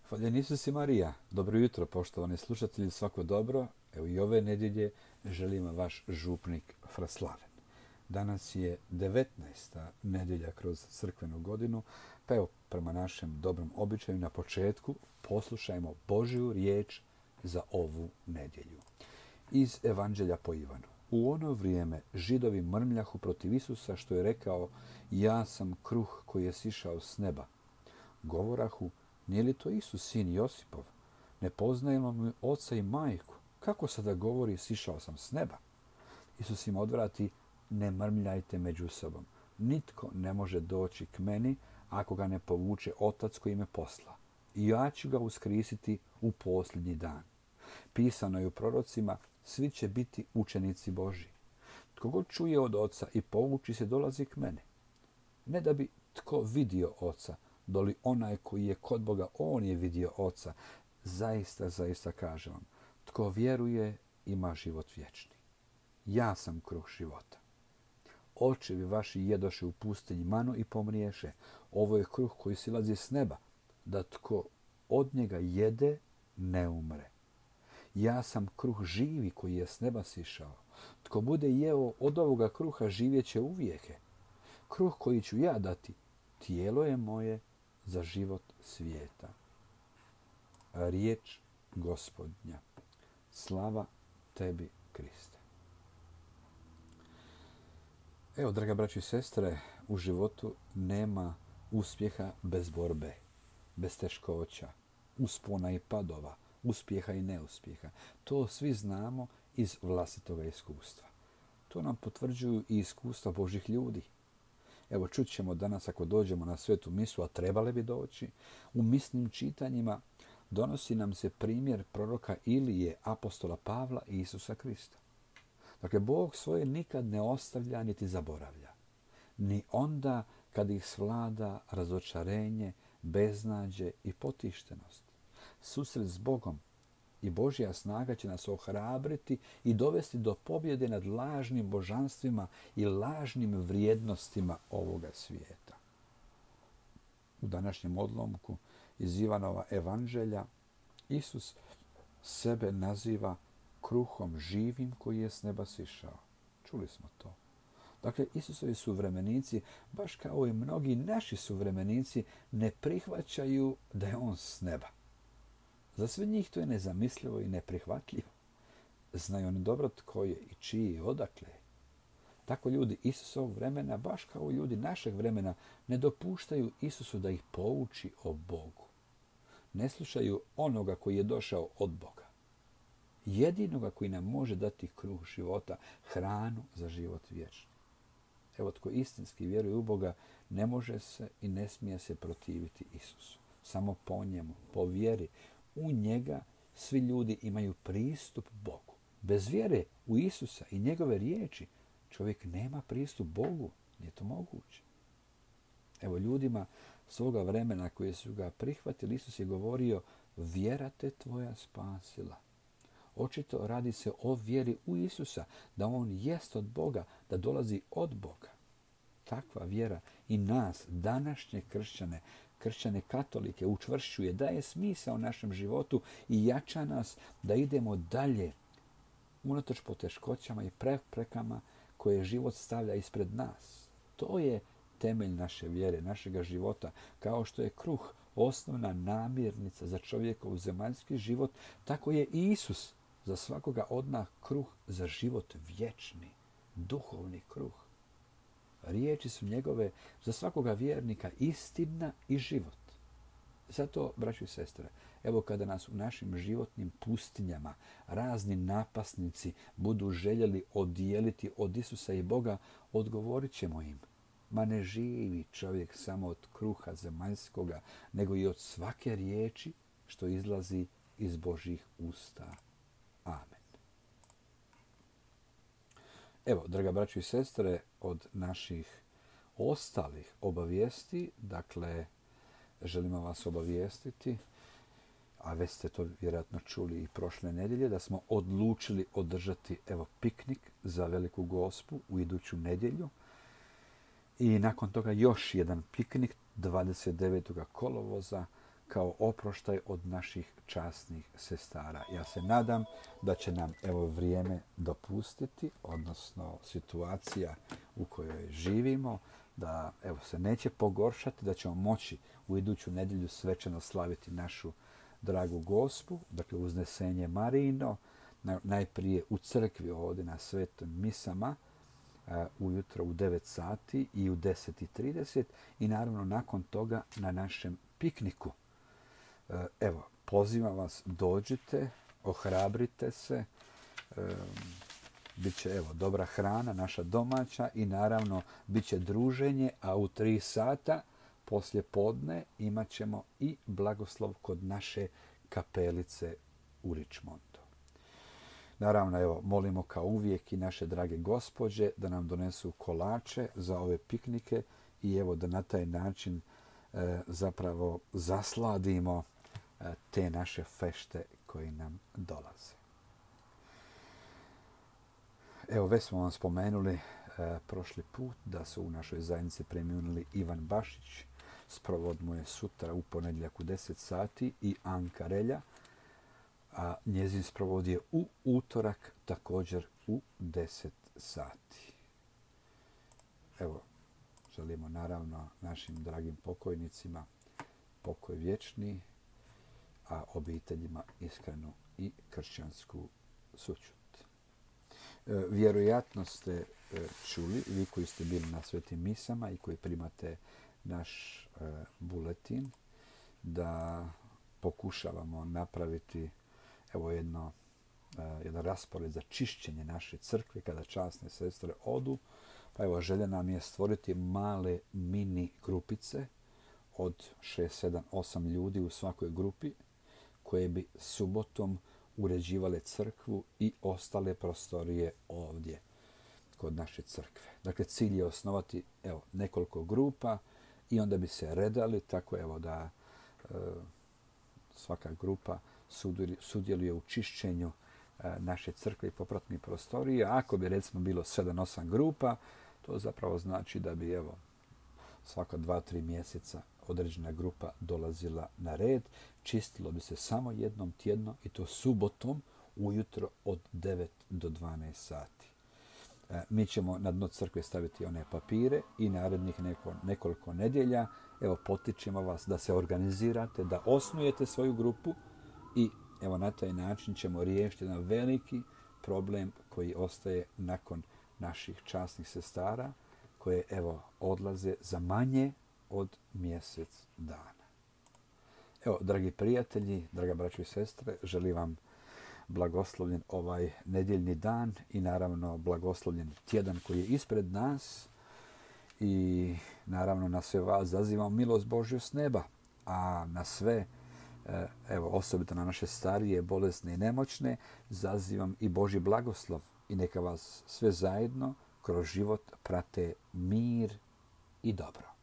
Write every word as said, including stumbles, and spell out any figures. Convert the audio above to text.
Hvaljen Isus i Marija. Dobro jutro, poštovani slušatelji, svako dobro. Evo i ove nedjelje želim vaš župnik Fraslaven. Danas je devetnaesta nedjelja kroz crkvenu godinu, pa evo prema našem dobrom običaju na početku poslušajmo Božju riječ za ovu nedjelju. Iz Evanđelja po Ivanu. U ono vrijeme Židovi mrmljahu protiv Isusa što je rekao: ja sam kruh koji je sišao s neba. Govorahu: nije li to Isus sin Josipov? Ne poznajemo mi oca i majku. Kako sada govori sišao sam s neba? Isus im odvrati: ne mrmljajte među sobom. Nitko ne može doći k meni ako ga ne povuče otac koji me posla. I ja ću ga uskrisiti u posljednji dan. Pisano je u prorocima: svi će biti učenici Božji. Tko god čuje od oca i povuči se dolazi k meni. Ne da bi tko vidio oca, doli onaj koji je kod Boga, on je vidio oca. Zaista, zaista kažem vam, tko vjeruje ima život vječni. Ja sam kruh života. Očevi vaši jedoše u pustinji manu i pomriješe. Ovo je kruh koji silazi s neba, da tko od njega jede ne umre. Ja sam kruh živi koji je s neba sišao. Tko bude jeo od ovoga kruha živjet će uvijeke. Kruh koji ću ja dati, tijelo je moje za život svijeta. Riječ Gospodnja. Slava tebi, Kriste. Evo, draga braći i sestre, u životu nema uspjeha bez borbe, bez teškoća, uspona i padova, uspjeha i neuspjeha. To svi znamo iz vlastitoga iskustva. To nam potvrđuju i iskustva Božih ljudi. Evo, čut ćemo danas, ako dođemo na svetu misu, a trebali bi doći, u misnim čitanjima donosi nam se primjer proroka Ilije, apostola Pavla i Isusa Krista. Dakle, Bog svoje nikad ne ostavlja niti zaboravlja. Ni onda kad ih svlada razočarenje, beznađe i potištenost. Susret s Bogom i Božja snaga će nas ohrabriti i dovesti do pobjede nad lažnim božanstvima i lažnim vrijednostima ovoga svijeta. U današnjem odlomku iz Ivanova evanđelja Isus sebe naziva kruhom živim koji je s neba sišao. Čuli smo to. Dakle, Isusovi suvremenici, baš kao i mnogi naši suvremenici, ne prihvaćaju da je on s neba. Za sve njih to je nezamislivo i neprihvatljivo. Znaju oni dobro tko je i čiji je odakle. Tako ljudi Isusovog vremena, baš kao ljudi našeg vremena, ne dopuštaju Isusu da ih pouči o Bogu. Ne slušaju onoga koji je došao od Boga. Jedinoga koji nam može dati kruh života, hranu za život vječni. Evo, tko istinski vjeruje u Boga, ne može se i ne smije se protiviti Isusu. Samo po njemu, po vjeri, u njega svi ljudi imaju pristup Bogu. Bez vjere u Isusa i njegove riječi čovjek nema pristup Bogu. Nije to moguće. Evo, ljudima svoga vremena koji su ga prihvatili, Isus je govorio: vjera te tvoja spasila. Očito radi se o vjeri u Isusa, da on jest od Boga, da dolazi od Boga. Takva vjera i nas, današnje kršćane, kršćane katolike, učvršćuje, daje smisao našem životu i jača nas da idemo dalje unatoč poteškoćama i preprekama koje život stavlja ispred nas. To je temelj naše vjere, našega života. Kao što je kruh osnovna namirnica za čovjekov zemaljski život, tako je i Isus za svakoga od nas kruh za život vječni, duhovni kruh. Riječi su njegove za svakoga vjernika istina i život. Zato, braćo i sestre, evo kada nas u našim životnim pustinjama razni napasnici budu željeli odijeliti od Isusa i Boga, odgovorit ćemo im: ma ne živi čovjek samo od kruha zemaljskoga, nego i od svake riječi što izlazi iz Božjih usta. Amen. Evo, draga braćo i sestre, od naših ostalih obavijesti, dakle, želimo vas obavijestiti, a već ste to vjerojatno čuli i prošle nedjelje, da smo odlučili održati, evo, piknik za Veliku Gospu u iduću nedjelju. I nakon toga još jedan piknik dvadeset devetog kolovoza kao oproštaj od naših časnih sestara. Ja se nadam da će nam evo vrijeme dopustiti, odnosno situacija u kojoj živimo, da evo se neće pogoršati, da ćemo moći u iduću nedjelju svečano slaviti našu dragu Gospu, dakle uznesenje Marijino, najprije u crkvi ovdje na svetim misama, ujutro u devet sati i u deset i trideset i naravno nakon toga na našem pikniku. Evo, pozivam vas, dođite, ohrabrite se, bit će evo dobra hrana, naša domaća i naravno bit će druženje, a u tri sata poslije podne imat ćemo i blagoslov kod naše kapelice u Richmondu. Naravno, evo, molimo kao uvijek i naše drage gospođe da nam donesu kolače za ove piknike i evo da na taj način e, zapravo zasladimo e, te naše fešte koji nam dolaze. Evo, već smo vam spomenuli e, prošli put da su u našoj zajednici preminuli Ivan Bašić, sprovod mu je sutra u ponedjeljak u deset sati i Anka Relja, a njezin sprovod je u utorak također u deset sati. Evo, želimo naravno našim dragim pokojnicima pokoj vječni, a obiteljima iskrenu i kršćansku sućut. E, vjerojatno ste e, čuli, vi koji ste bili na svetim misama i koji primate naš e, buletin, da pokušavamo napraviti evo jedno, uh, jedan raspored za čišćenje naše crkve kada časne sestre odu. Pa evo, želja nam je stvoriti male mini grupice od šest, sedam, osam ljudi u svakoj grupi koje bi subotom uređivale crkvu i ostale prostorije ovdje kod naše crkve. Dakle, cilj je osnovati evo, nekoliko grupa i onda bi se redali tako evo da uh, svaka grupa sudjeluje u čišćenju naše crkve i popratnih prostorija. Ako bi recimo bilo sedam osam grupa, to zapravo znači da bi evo svaka dva tri mjeseca određena grupa dolazila na red. Čistilo bi se samo jednom tjedno i to subotom ujutro od devet do dvanaest sati. Mi ćemo na dno crkve staviti one papire i narednih neko, nekoliko nedjelja evo potičemo vas da se organizirate, da osnujete svoju grupu i evo na taj način ćemo riješiti jedan veliki problem koji ostaje nakon naših časnih sestara koje evo odlaze za manje od mjesec dana. Evo, dragi prijatelji, draga braćo i sestre, želim vam blagoslovljen ovaj nedjeljni dan i naravno blagoslovljen tjedan koji je ispred nas i naravno na sve vas zazivam milost Božju s neba, a na sve evo, osobito na naše starije, bolesne i nemoćne, zazivam i Božji blagoslov i neka vas sve zajedno kroz život prate mir i dobro.